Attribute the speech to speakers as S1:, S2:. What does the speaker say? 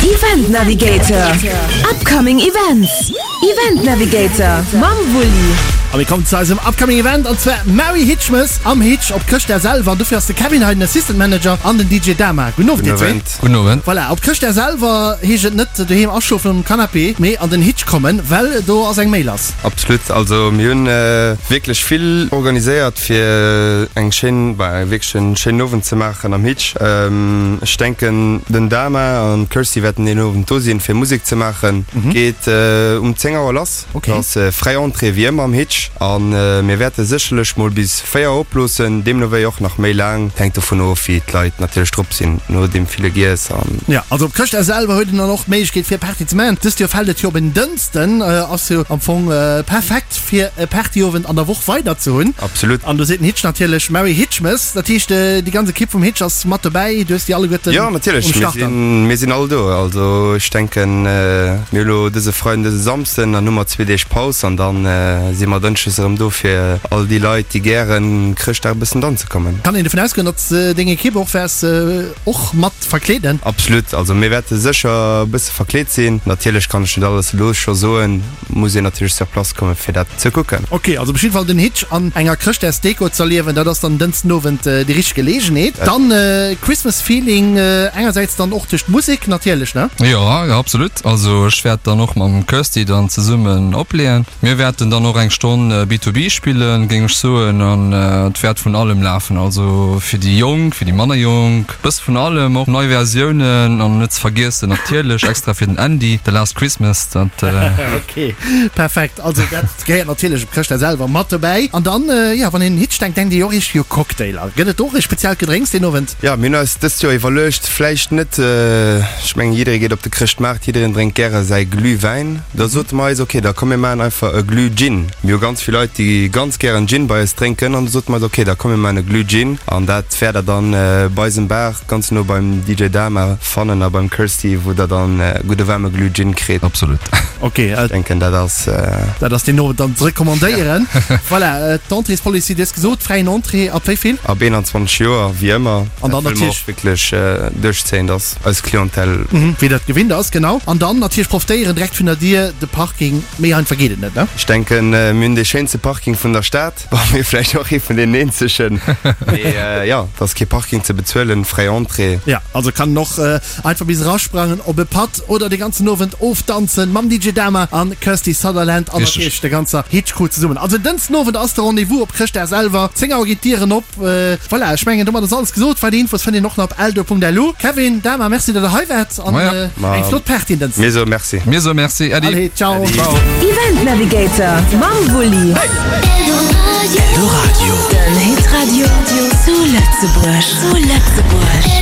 S1: Event Navigator, Upcoming Events, Event Navigator mam Wulli.
S2: A mir kommen zu eisem Upcoming Event an zwar Merry Hitchmas am Hitch op Chrëschtdag selwer. An dofir ass de Kevin hei den Assistant Manager an den DJ Dama. Gudden Owend dir zwee.
S3: Gudden Owend.
S2: Voilà, op Chrëschtdag selwer heescht et net doheem aschlofen um Canapé, mee an den Hitch kommen, well do ass eng Méi lass.
S3: Absolut, also mir hunn wierklech vill organiséiert fir eng schéin, bah wierklech en schéinen Owend ze maachen am Hitch. Ech denken den Dama an d'Kirsty wäerten deen Owend do sinn fir Musek ze maachen. Geet um 10 Auer lass, ass fräi Entrée wéi ëmmer am Hitch an mir wäerte sécherlech mol bis 4 oploossen, deemno wéi och nach méi laang, hänkt dovun of wéi d'Leit natierlech drop sinn no deem ville Giess an.
S2: Jo, also op Chrëschtdag selwer huet een dann och d'Méiglechkeet fir Party ze maachen. Dëst Joer fält et jo op en Dënsten, ass jo am Fong perfekt fir e Partyowend an der Woch weider ze hunn.
S3: Absolut.
S2: An do seet den Hitch natierlech Merry Hitchmas, dat heescht déi ganz Ekipp vum Hitch ass mat dobäi, du hues déi alleguerten
S3: Jo natierlech,
S2: um
S3: mir
S2: Start dann.
S3: sinn, mir sinn all do. Also ech denken mir hu lo dëse Freiden, dëse Samsden, dann hu mer zwee Deeg Paus an dann si mer Dënschdes erëm do fir all déi Leit déi gären Chrëschtdag e bëssen danze kommen.
S2: Kann een dovun ausgoen, datt deng Ekipp och wäers och mat verkleeden?
S3: Absolut, also mir wäerte sécher e bësse verkleet sinn. Natierlech kann ech net alles elo scho soen, muss een natierlech sur place kommen fir dat ze kucken.
S2: Ok, also op jidde Fall den Hitch an enger Chrëschtdagsdeko z'erliewen, dat ass dann Dënschden Owend déi richteg Geleegenheet. Dann Christmas Feeling engersäits dann och duerch d'Musek natierlech, ne?
S4: Jo, absolut. Also ech wäert dann och mam Kirsty dann zesummen opleeën. Mir wäerten dann och eng Stonn B2B spillen, géing ech soen, an et wäert vun allem lafen, also fir déi Jonk, fir déi manner Jonk, bësse vun allem, och nei Versiounen an net ze vergiessen natierlech extra fir den Andy, The Last Christmas, dat.
S2: Ok, perfekt. Also dat gehéiert natierlech op Chrëschtdag selwer mat dobäi. An dann, jo, wann een un Hitch denkt, denkt ee jo och iergendwéi u Cocktailer. Gëtt et do och e speziellt Gedrénks deen Owend?
S3: Jo, mir hunn eis dëst Joer iwwerluecht, vläicht net, ech mengen jidderee geet op de Chrëschtmaart, jiddereen drénkt gäre säi Glühwäin. Da sote mer eis, ok, da komm mir maachen einfach e Glüh-Gin. Mir hu ganz vill Leit, déi ganz gären Gin bei eis drénken an da sote mer eis, ok, da komm mir maachen e Glüh-Gin an dat wäert der dann bei eisem Bar ganz no beim DJ Dama fannen a beim Kirsty, wou der dann e gudde waarme Glüh-Gin kritt.
S4: Absolut.
S2: Ok.
S3: Ech denken, dat ass.
S2: Dat ass deen Owend dann ze recommandéieren. Voilà, d'Entréespolicy, du hues gesot, fräien Entrée ab wéi vill?
S3: Ab 21 Joer, wéi ëmmer.
S2: An dann
S3: Dat wëlle mer
S2: natierlech.
S3: och wierklech duerchzéien, dass. Eis Clientèle.
S2: Wéi dat gewinnt ass, genau. An dann natierlech profitéieren direkt vun der Dier, de Parking, méi einfach geet et net, ne?
S3: Ech denken, mir hunn dee schéinste Parking vun der Stad. Bon, mir vläicht och ee vun deenen eenzegen. Mee jo, et ass kee Parking ze bezuelen, fräi Entrée.
S2: Jo, also kann en och einfach bis erasprangen op e Patt oder de ganzen Owend ofdanzen mam DJ Dama an Kirsty Sutherland an natierlech der ganzer Hitch-Crew zesummen. Also Dënschden Owend ass de Rendez-vous op Chrëschtdag selwer, 10 Auer ginn d'Dieren op. Voilà, ech mengen domat ass alles gesot. Weider Infos fënnt een och nach op eldo.lu. Kevin, Dama, merci dat der hei waart an eng flott Party en Dënschden.
S3: Mir soe Merci.
S4: Mir soe Merci, Äddi.
S2: Allez, ciao.
S4: Ciao.
S1: Event Navigator mam Wulli.
S5: Eldoradio.
S1: Den Hitradio zu Lëtzebuerg. Zu Lëtzebuerg.